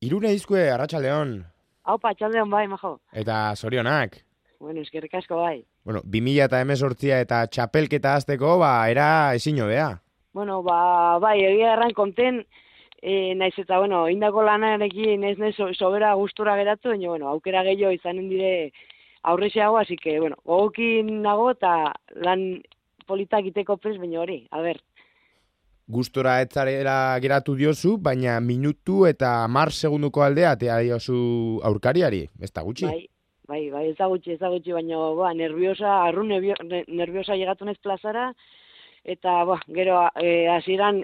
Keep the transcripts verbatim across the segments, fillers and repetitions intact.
Irune izkue, Arratsaldeon. Haupa, txaldeon bai, majo. Eta zorionak. Bueno, eskerrik asko bai. Bueno, bi mila hemezortzi eta txapelketa hasteko, ba, era ezin hobea. Bueno, ba, bai, egia erran konten, e, naiz eta, bueno, indako lanarekin ez naiz so, sobera gustura geratu, baina, bueno, aukera gehiago izanen dire aurrexeago, así que, bueno, gogokin nago eta lan politak iteko prez, baina hori, a ber. Gustora etzarera geratu diozu, baina minutu eta mar segunduko aldea tea diozu aurkariari, ez da gutxi. Bai, bai, bai, ez da gutxi, ez da gutxi, baina, ba, nerviosa, arru nervio, nerviosa llegatu nez plazara, eta, ba, gero, e, hasieran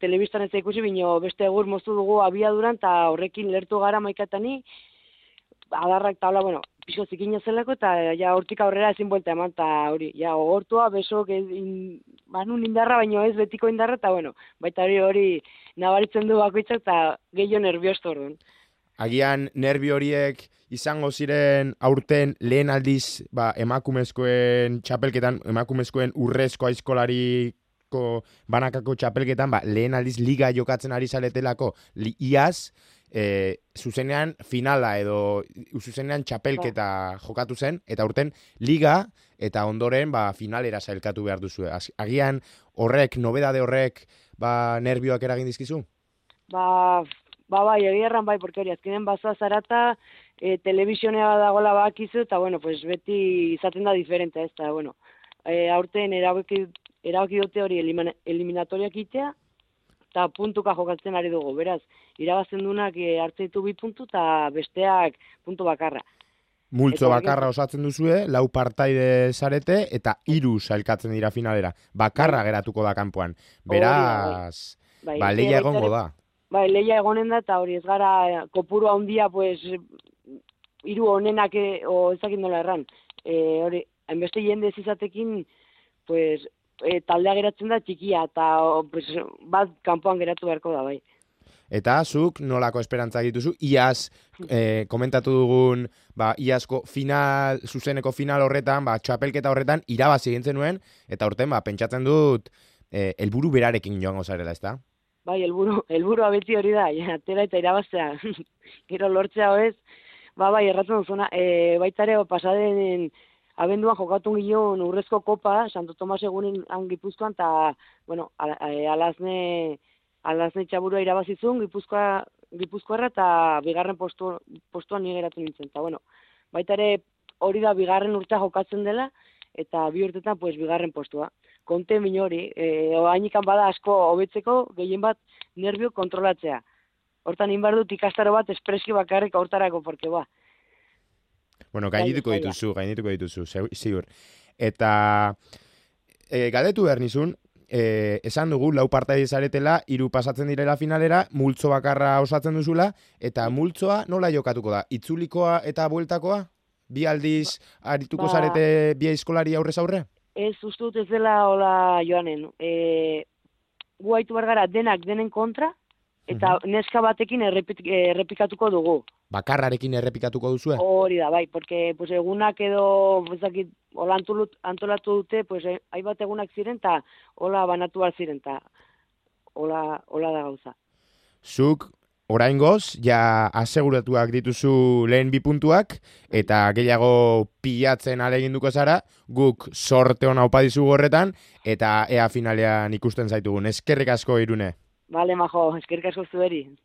telebistan ez da ikusi, baina beste egur moztu dugu abiaduran, eta horrekin lertu gara maikatani, adarrak tabla, bueno, pixo zikina zelako, eta ja hortik aurrera ezin buelta eman, eta hori, ja, gogortua, besok, in, banun indarra, baino ez betiko indarra, eta bueno, baita hori hori nabaritzen du bakoitzak, eta gehiago nerviosto orduan. Agian nerbio horiek izango ziren aurten lehen aldiz ba, emakumezkoen txapelketan, emakumezkoen urrezko aizkolariko banakako txapelketan, ba, lehen aldiz liga jokatzen ari zaretelako, li, iaz, e, zuzenean finala edo zuzenean txapelketa jokatu zen, eta aurten liga eta ondoren ba, finalera sailkatu behar duzu. Agian horrek, nobedade horrek, ba, nerbioak eragin dizkizu? Ba, ba bai, egia erran bai, porque hori, azkenen bazoa zarata, e, telebizionea dagoela bakizu, eta bueno, pues beti izaten da diferente, ez da, bueno, e, aurten erabaki, erabaki dute hori eliminatoriak itea, eta puntuka jokatzen ari dugu, beraz, irabazten dunak e, hartze ditu bi puntu, eta besteak puntu bakarra. Multzo bakarra osatzen duzue, lau partaide zarete, eta hiru sailkatzen dira finalera. Bakarra bai, geratuko da kanpoan. Beraz, bai, ba, leia egongo da. Bai, leia egonen da, eta hori ez gara kopuru handia, pues, hiru honenak, o ezakin nola erran. E, hori, hainbeste jende ez izatekin, pues, e, taldea geratzen da txikia, eta pues, bat kanpoan geratu beharko da, bai. Eta zuk nolako esperantza dituzu, iaz eh, komentatu dugun, ba, iazko final, zuzeneko final horretan, ba, txapelketa horretan, irabazi egin zenuen, eta horten, ba, pentsatzen dut, eh, helburu berarekin joango zarela, ez da? Bai, helburu, helburua beti hori da, ja, atera eta irabaztea, gero lortzea hoez, ba, bai, erratzen duzuna, e, baitare, pasaden abenduan jokatu ginen urrezko kopa, Santo Tomas egunen han Gipuzkoan, eta, bueno, al, alazne, alazne txaburua irabazizun, Gipuzkoa, Gipuzkoarra, eta bigarren postu, postuan ni geratu nintzen, eta, bueno, baitare hori da bigarren urtea jokatzen dela, eta bi urtetan, pues, bigarren postua. Konte min hori, e, hainikan bada asko hobetzeko, gehien bat nervio kontrolatzea. Hortan inbar dut ikastaro bat espreski bakarrik hortarako, porque ba. Bueno, gainituko dituzu, gainituko dituzu, ziur. Eta e, galdetu behar nizun, e, esan dugu, lau partaide zaretela, hiru pasatzen direla finalera, multzo bakarra osatzen duzula, eta multzoa nola jokatuko da? Itzulikoa eta bueltakoa? Bi aldiz arituko ba, zarete bi aizkolari aurrez aurre? Ez, uste dut ez dela hola joanen. E, gu haitu bargara denak denen kontra, eta uh-huh. neska batekin errepik, errepikatuko dugu. Bakarrarekin errepikatuko duzue? Hori da, bai, porque pues, egunak edo, ezakit, hola antolatu dute, pues, haibat egunak ziren, eta hola banatu bat ziren, eta hola, hola da gauza. Zuk, oraingoz, ja aseguratuak dituzu lehen bi puntuak, eta gehiago pilatzen aleginduko zara, guk sorte hona opa dizugu horretan, eta ea finalean ikusten zaitugun. Eskerrik asko, Irune. Bale, majo, eskerrik asko zueri.